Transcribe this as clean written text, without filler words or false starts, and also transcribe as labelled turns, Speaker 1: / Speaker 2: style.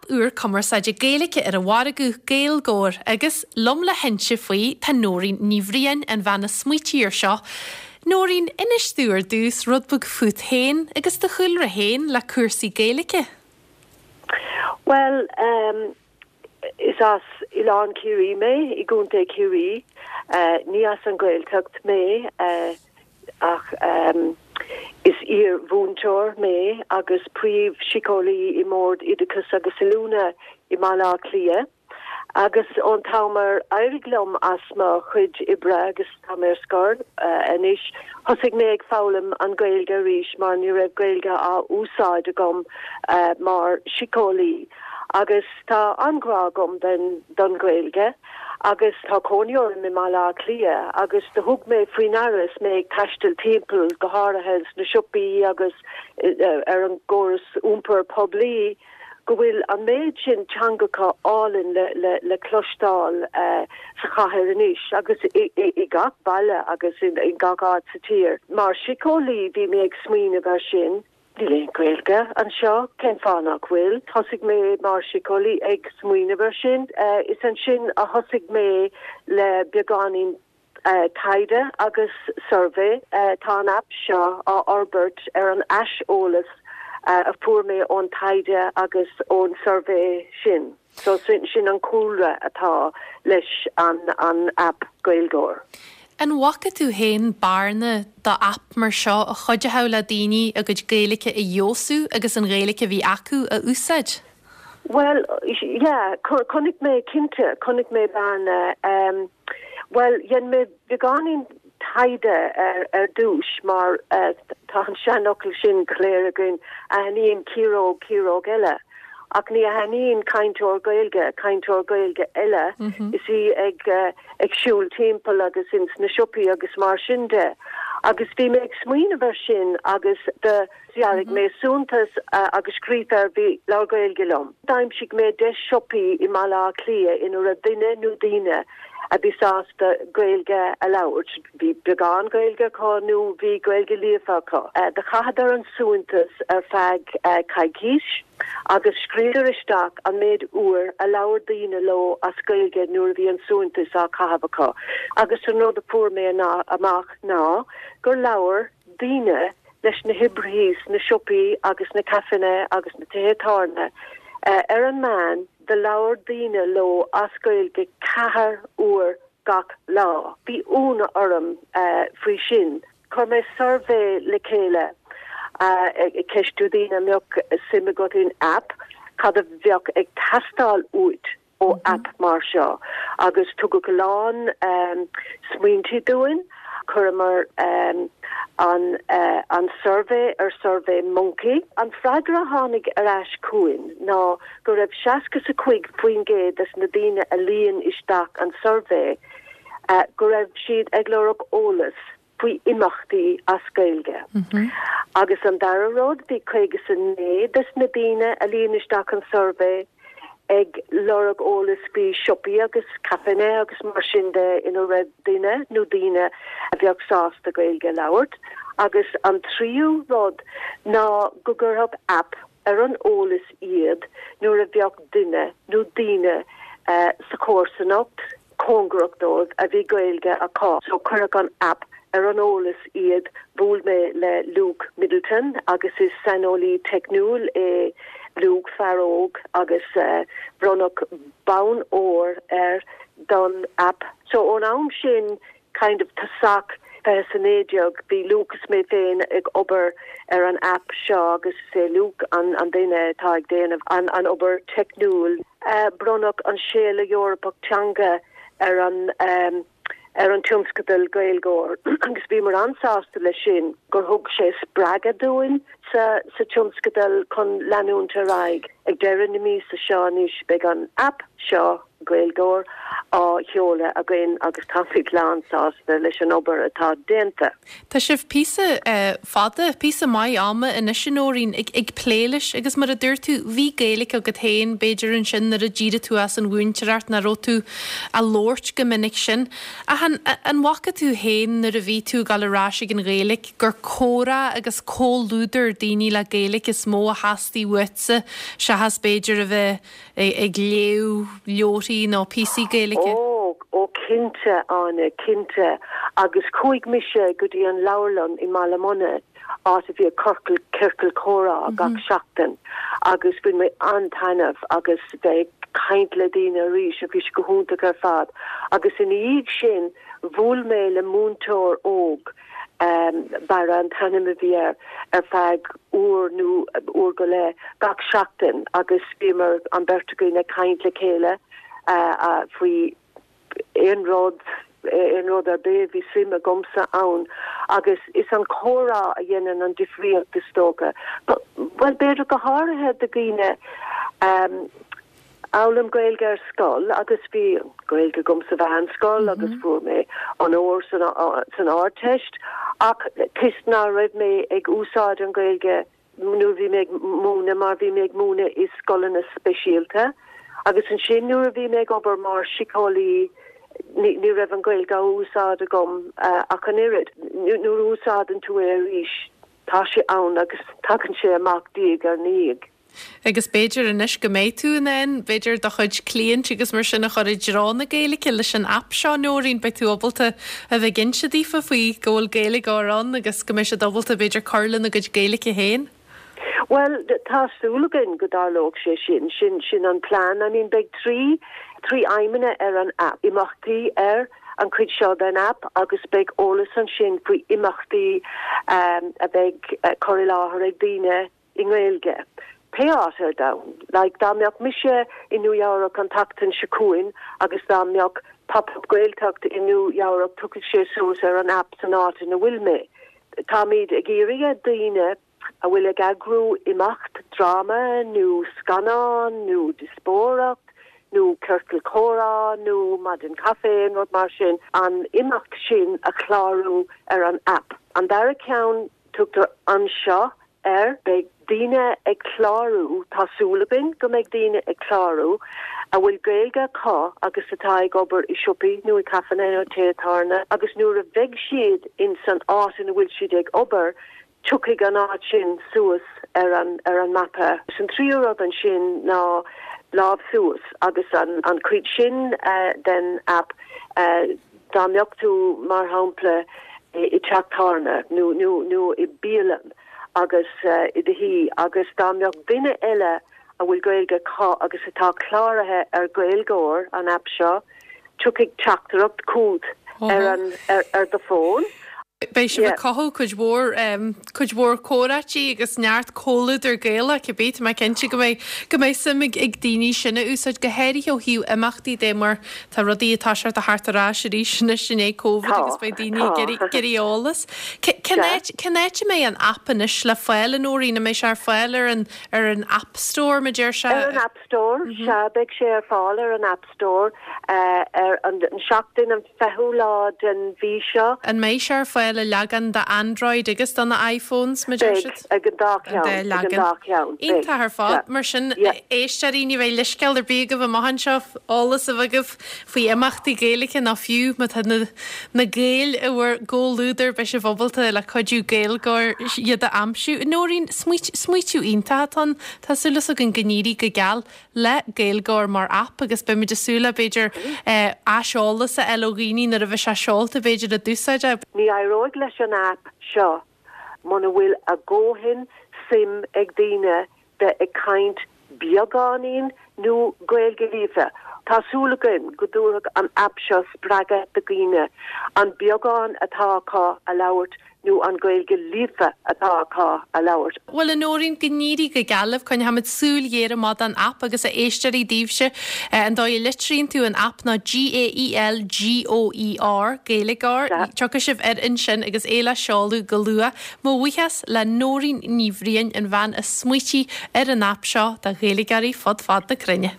Speaker 1: aip úr cumarsáide Gaeilge ar an mhargadh, Gaeilgeoir, agus liom le hinse faoi tá Nóirín Ní Bhriain, an bhean a smaoitigh air seo. Nóirín, inis domh ar dtús rud beag fút féin agus do chúlra féin le cúrsaí Gaeilge.
Speaker 2: Bhuel, is as Oileán Ciarraí mé, i gContae Chiarraí. Ní as an Ghaeltacht mé. Ach is iar-mhúinteoir mé agus príomh-shíceolaí i mBord Oideachais agus Oiliúna i mBaile Átha Cliath. Agus ón t-am ar éirigh liom as mo chuid oibre agus tá mé ar scor anois, thosaigh mé ag foghlaim an Ghaeilge arís mar ní raibh Gaeilge á úsáid agam mar shíceolaí. Agus tá an-ghrá agam don Ghaeilge. Agus tá cónaí orm i mBaile Átha Cliath agus do thug mé faoi ndeara is mé ag taisteal timpeall, go háirithe sna siopaí agus ar an gcóras iompair poiblí, go bhfuil an méid sin teangacha álainn le cloisteáil sa chathair anois agus i gach baile agus i gach áit sa tír. Mar shíceolaí bhí mé ag smaoineamh air sin. Níl aon Ghaeilge anseo, cén fáth nach bhfuil? Thosaigh mé mar shíceolaí ag smaoineamh ar sin. Is ansin a thosaigh mé le beagáinín taighde agus suirbhé. Tá an aip seo á fhorbairt ar an aiseolas a fuair mé ón taighde agus ón suirbhé sin. So sin an cúlra atá leis an an aip Gaeilgeoir.
Speaker 1: An bhfaca tú féin bearna do aip mar seo a chuideodh le daoine a gcuid Gaeilge a fheabhsú agus an Ghaeilge a bhí acu a úsáid?
Speaker 2: Bhuel, yeah, chonaic mé cinnte, chonaic mé bearna. Bhuel, dhein mé beagáinín taighde ar ar dtús mar tá an seanfhocal sin go léir againn, aithníonn ciaróg ciaróg eile. Ach ní aithníonn cainteoir Gaeilge cainteoir Gaeilge eile is í ag ag siúl timpeall agus ins na siopaí agus mar sin de. Agus bhí mé ag smaoineamh ar sin agus do dhearaigh mé suaitheantas agus scríofa air bhí Labhair Gaeilge liom. D'aimsigh mé 10 siopaí i mBaile Átha Cliath ina raibh duine nó daoine a bhí sásta Gaeilge a labhairt. Bhí beagán Gaeilge acu nó bhí Gaeilge líofa acu. Do chaitheadar an suaitheantas ar feadh coicís agus scríobhadar isteach an méid uair a labhair daoine leo as Gaeilge nuair a bhí an suaitheantas á chaitheamh acu. Agus an rud a fuair mé amach ná gur labhair daoine leis na hoibrithe sna siopaí agus na caiféanna agus na tithe tábhairne ar an meán do labhair daoine leo as Gaeilge ceathair uair gach lá. Bhí ionadh orm faoi sin. Chuir mé suirbhé le chéile ag ceistiú daoine an mbeadh suim agat in aip, cad a bheadh ag teastáil uait ó aip mar seo agus tugadh a lán smaointe dúinn. Chuireamar an an suirbhé ar Survey Monkey. An freagra a tháinig ar ais chugainn ná go raibh 65% des na daoine a líon isteach an suirbhé go raibh siad ag lorg eolas faoi imeachtaí as Gaeilge. Agus an dara rud, bhí 59 des na daoine a líon isteach an suirbhé ag lorg eolas faoi siopaí agus caiféanna agus mar sin de ina raibh duine nó daoine a bheadh sásta Gaeilge a labhairt. Agus an tríú rud ná go gcuirfeadh aip ar an eolas iad nuair a bheadh duine nó daoine sa chomharsanacht cóngarach dóibh a bhí Gaeilge acu. So chuirfeadh an aip ar an eolas iad. Bhuail mé le Luke Middleton agus is saineolaí teicniúil é Luke, fear óg, agus bronnadh bonn óir air don aip. So ón am sin kind of tosach 2019 bhí Luke is mé féin ag obair ar an aip seo agus is é Luke an an duine atá ag déanamh an an obair teicniúil. Bronnadh an Séala Eorpach Teanga ar an ar an tionscadal Gaeilgeoir agus bhíomar an-sásta leis sin gur thug sé spreagadh dúinn sa sa tionscadal chun leanúint ar aghaidh. Ag deireadh na míosa seo anois beidh an aip seo, Gaeilgeoir. Á sheoladh againn agus táimid lán sásta leis an obair atá déanta.
Speaker 1: Tá sibh píosa fada, píosa maith ama anois a Nóirín, ag plé leis agus mar a dúirt tú, bhí Gaeilge agat féin b'fhéidir ansin nuair a d'éirigh tú as an mhúinteoireacht nach raibh tú á labhairt chomh minic sin. Ach an an bhfaca tú féin nuair a bhí tú ag dul ar ais ag an Ghaeilge gur comhrá agus comhluadar daoine le Gaeilge is mó a theastaigh uaitse seachas b'fhéidir a bheith ag léamh leabharthaí nó píosaí Gaeilge?
Speaker 2: Ó, ó cinnte, Áine, cinnte. Agus chuaigh mise go dtí an leabharlann i mBaile Munna, áit a bhíodh corcal, ciorcal comhrá gach seachtain agus bhain mé an-taitneamh agus bheith ag caint le daoine arís, bhí sé go hiontach ar fad. Agus ina dhiaidh sin, bhuail mé le múinteoir óg, Barra an t-ainm a bhí air, ar feadh uair nó uair go leith gach seachtain agus bhíomar, an bheirt againn, ag caint le chéile faoi aon rud, aon rud ar bith, bhí suim agamsa ann agus is an comhrá a dhéanann an difríocht is dócha. Bhuel, b'fhéidir go háirithe do dhaoine D'fhoghlaim Gaeilge ar scoil agus bhí Gaeilge agam sa mheánscoil agus fuair mé onóir san Ardteist ach toisc ná raibh mé ag úsáid an Ghaeilge nuair a bhí mé ag múineadh mar bhí mé ag múineadh i scoileanna speisialta agus ansin nuair a bhí mé ag obair mar síceolaí ní raibh an Ghaeilge á úsáid agam ach an oiread. Nuair a úsáideann tú é arís tá sé ann agus tagann sé amach diaidh ar ndiaidh.
Speaker 1: Agus b'fhéidir anois go mbeidh tú in ann, b'fhéidir, do chuid cliaint agus mar sin a chur i dtreo na Gaeilge leis an aip seo, Nóirín, beidh tú ábalta a bheith ag inse daofa faoi go bhfuil Gaeilgeoir ann agus go mbeidh siad ábalta, b'fhéidir, cur lena gcuid Gaeilge féin.
Speaker 2: Bhuel, tá súil againn go dtarlódh sé sin. Sin, sin an plean. I mean, beidh trí, trí aidhmeanna ar an aip. Imeachtaí ar an chuid seo den aip agus beidh eolas ansin faoi imeachtaí a bheidh cur i láthair ag daoine i nGaeilge, pé áit ar domhan. Like, dá mbeadh mise i Nua Eabhrac an tseachtain seo chugainn agus dá mbeadh Pop Up Gaeltacht i Nua Eabhrac, tiocfaidh sé suas ar an aip san áit ina bhfuil mé. Táimid ag iarraidh ar daoine a bhfuil ag eagrú imeacht, dráma nó scannán nó díospóireacht nó ciorcal comhrá nó maidin caife, aon rud mar sin, an imeacht sin a chlárú ar an aip. An dara ceann, tugtar Anseo air. Beidh daoine ag clárú, tá súil againn go mbeidh daoine ag clárú, a bhfuil Gaeilge acu agus atá ag obair i siopaí nó i caiféanna nó tithe tábhairne agus nuair a bheidh siad in san áit ina bhfuil siad ag obair, tiocfaidh an áit sin suas ar an ar an mapa. Is an tríú rud ansin ná lámh suas agus an an chuid sin den aip dá mbeadh tú mar shampla i dteach tábhairne nó nó nó i bialann agus i do shuí agus dá mbeadh duine eile a bhfuil Gaeilge acu agus atá cláraithe ar Gaeilgeoir, an aip seo, tiocfaidh teachtaireacht chugat ar an ar do fón.
Speaker 1: Beidh sibh ag cothú cuid mhór cuid mhór comhráití agus neart comhluadar Gaelach cibé. Tá mé cinnte go mbeidh go mbeidh suim ag ag daoine sin a úsáid, go háirithe ó thaobh imeachtaí de mar tá rudaí ag toiseacht a theacht ar ais arís anois i ndiaidh Covid agus beidh daoine ag iarraidh iarraidh eolas. Cén áit cén áit a mbeidh an aip anois le fáil, a Nóirín? An mbeidh sé ar fáil ar an ar an App Store, mar deir sé?
Speaker 2: Ar an App Store, sea, beidh sé ar fáil ar an App Store ar an seachtain an 20ú lá den mhí seo.
Speaker 1: An mbeidh sé ar fáil i leagan do Android agus do na iPhones, mar deir
Speaker 2: siad? Beidh, ag an dá cheann, ag an dá cheann,
Speaker 1: beidh. Iontach ar fad. Mar sin, éisteoirí, ní bheidh leithscéal ar bith agaibh amach anseo eolas a bheith agaibh faoi imeachtaí Gaeilge nó fiú má tá na na Gaeil i bhur gcomhluadar, beidh sibh ábalta le cuidiú Gaeilgeoir iad a aimsiú. Nóirín, smaoitiú iontach atá ann. Tá súil againn go n-éirí go geal le Gaeilgeoir mar aip agus beimid ag súil le, b'fhéidir, aiseolas a fháil ó dhaoine nuair a bheidh sé seolta, b'fhéidir, a d'úsáid é.
Speaker 2: Ní éireoidh leis an aip seo muna bhfuil a dhóthain suim ag daoine bheith ag caint beagáinín nó Gaeilge líofa. Tá súil againn go dtabharfaidh an aip seo spreagadh do dhaoine an beagán atá acu a labhairt nó an Ghaeilge líofa atá acu a labhairt.
Speaker 1: Bhuel, a Nóirín, go n-éirí go geal libh. Coinneoimid súil ghéar amach don aip agus a éisteoirí daoibhse, an dóigh a litríonn tú an aip ná G-A-E-L-G-O-E-R, Gaeilgeoir. Tiocfaidh sibh air ansin agus é le seoladh go luath. Mo bhuíochas le Nóirín Ní Bhriain, an bhean a smaoitigh ar an aip seo do Ghaeilgeoirí fud fad na cruinne.